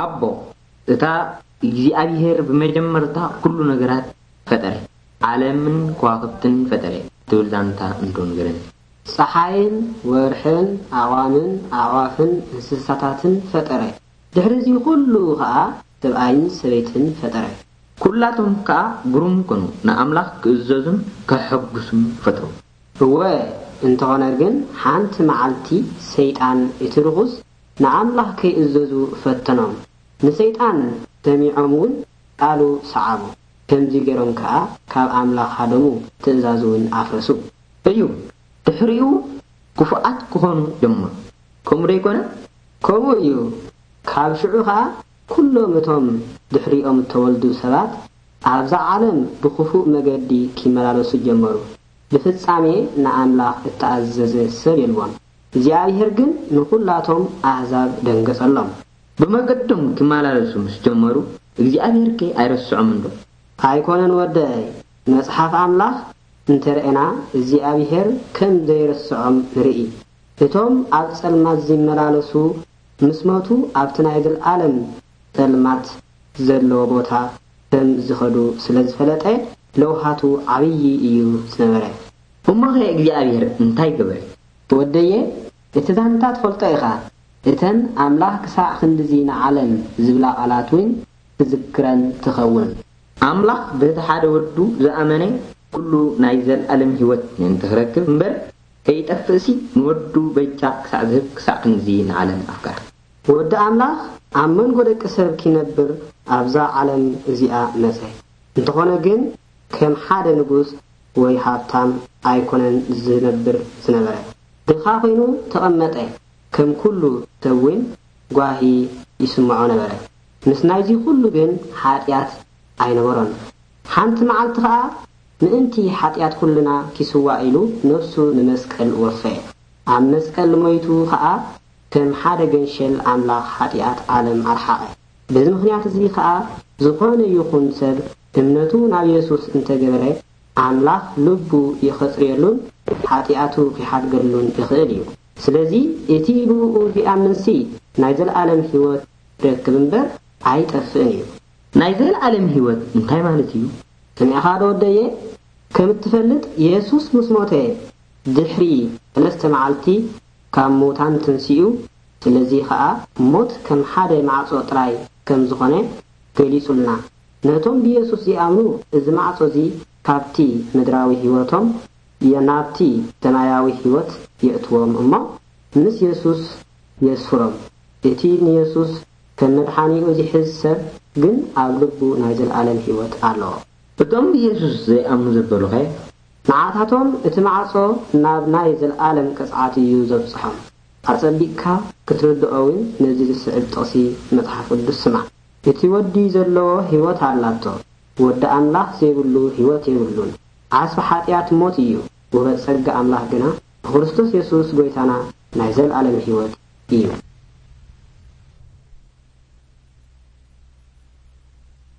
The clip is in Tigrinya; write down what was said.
ኣቦ፣ እታ እግዚኣብሔር ብመጀመርታ ኩሉ ነገራት ፈጠረ፣ ዓለምን ከዋኽብትን ፈጠረ ትብል ዛንታ እንዶ ንገረኒ። ጸሓይን ወርሕን ኣቕዋምን ኣዕዋፍን እንስሳታትን ፈጠረ። ድሕሪ እዚ ኩሉ ኸኣ ሰብኣይን ሰበይትን ፈጠረ። ኩላቶም ከኣ ግሩም ኮኑ፣ ንኣምላኽ ክእዘዙን ከሐጉሱን ፈትሩ። እወ፣ እንተኾነ ግን ሓንቲ መዓልቲ ሰይጣን እቲ ርኹስ ንኣምላኽ ከይእዘዙ ፈተኖም። ንሰይጣን ሰሚዖም እውን ቃሉ ሰዓቡ። ከምዚ ገይሮም ከኣ ካብ ኣምላኽ ሃደሙ፣ ትእዛዙ እውን ኣፍረሱ። እዩ፣ ድሕሪኡ ክፉኣት ክኾኑ ጀመሩ። ከምኡ ዶ ይኮነ? ከምኡ እዩ። ካብ ሽዑ ኸኣ ኩሎም እቶም ድሕሪኦም እተወልዱ ሰባት ኣብዛ ዓለም ብኽፉእ መገዲ ኪመላለሱ ጀመሩ። ብፍጻሜ ንኣምላኽ እተኣዘዘ ሰብ የልቦን። እግዚኣብሔር ግን ንኹላቶም ኣህዛብ ደንገጸሎም። ብመገዶም ክመላለሱ ምስ ጀመሩ እግዚኣብሔር ከ ኣይረስዖም እንዶ? ኣይኮነን ወደይ፣ መጽሓፍ ኣምላኽ እንተ ረኤና እግዚኣብሔር ከም ዘይረስዖም ንርኢ። እቶም ኣብ ጸልማት ዚመላለሱ ምስ ሞቱ ኣብቲ ናይ ዘለኣለም ጸልማት ዘለዎ ቦታ ከም ዝኸዱ ስለ ዝፈለጠ ለውሃቱ ዓብዪ እዩ ዝነበረ። እሞኸ እግዚኣብሔር እንታይ ገበረ? ወደየ፣ እቲ ዛንታ ትፈልጦ ኢኻ። እተን ኣምላኽ ክሳዕ ክንድዚ ንዓለም ዝብላ ቃላት እውን ትዝክረን ትኸውን። ኣምላኽ በቲ ሓደ ወዱ ዝኣመነ ኩሉ ናይ ዘለኣለም ህይወት ምእንቲ ክረክብ እምበር ከይጠፍእሲ ንወዱ በጃ ክሳዕ ዝህብ ክሳዕ ክንድዚ ንዓለም ኣፍቀረ። ወዲ ኣምላኽ ኣብ መንጎ ደቂ ሰብ ኪነብር ኣብዛ ዓለም እዚኣ መጸ። እንተኾነ ግን ከም ሓደ ንጉስ ወይ ሃብታም ኣይኮነን ዝነብር ዝነበረ። ድኻ ኮይኑ ተቐመጠ። ከም ኩሉ ሰብ እውን ጓሂ ይስምዖ ነበረ። ምስ ናይዚ ኩሉ ግን ሓጢኣት ኣይነበሮን። ሓንቲ መዓልቲ ኸኣ ምእንቲ ሓጢኣት ኩልና ኪስዋእ ኢሉ ነፍሱ ንመስቀል ወፈየ። ኣብ መስቀል ሞይቱ ኸኣ ከም ሓደ ገንሸል ኣምላኽ ሓጢኣት ዓለም ኣርሓቐ። በዚ ምኽንያት እዚ ኸኣ ዝኾነ ይኹን ሰብ እምነቱ ናብ የሱስ እንተገበረ ኣምላኽ ልቡ ይኸጽርየሉን ሓጢኣቱ ኺሓድገሉን ይኽእል እዩ። ስለዚ እቲ ብእኡ ዚኣምንሲ ናይ ዘለኣለም ህይወት ይረክብ እምበር ኣይጠፍእን እዩ። ናይ ዘለኣለም ህይወት እንታይ ማለት እዩ? ሰሚዕኻ ዶ ወደየ? ከም እትፈልጥ የሱስ ምስ ሞተ ድሕሪ ሰለስተ መዓልቲ ካብ ምዉታን ተንሲኡ፣ ስለዚ ኸኣ ሞት ከም ሓደ ማዕጾ ጥራይ ከም ዝኾነ ገሊጹልና። ነቶም ብየሱስ ዚኣምኑ እዚ ማዕጾ እዚ ካብቲ ምድራዊ ህይወቶም ናብቲ ሰማያዊ ህይወት የእትዎም እሞ ምስ የሱስ የስፍሮም። እቲ ንየሱስ ከም መድሓኒኡ ዚሕዝ ሰብ ግን ኣብ ልቡ ናይ ዘለኣለም ህይወት ኣለዎ። እቶም ብየሱስ ዘይኣምኑ ዘበሉኸ? ንዓታቶም እቲ ማዕጾ ናብ ናይ ዘለኣለም ቅጽዓት እዩ ዘብጽሖም። ኣጸቢቕካ ክትርድኦ እውን ነዚ ዝስዕብ ጥቕሲ መጽሓፍ ቅዱስ ስማዕ። እቲ ወዲ ዘለዎ ህይወት ኣላቶ፣ ወዲ ኣምላኽ ዘይብሉ ህይወት የብሉን። ዓስቢ ሓጢኣት ሞት እዩ፣ ውህበት ጸጋ ኣምላኽ ግና ብክርስቶስ የሱስ ጐይታና ናይ ዘለኣለም ህይወት እዩ።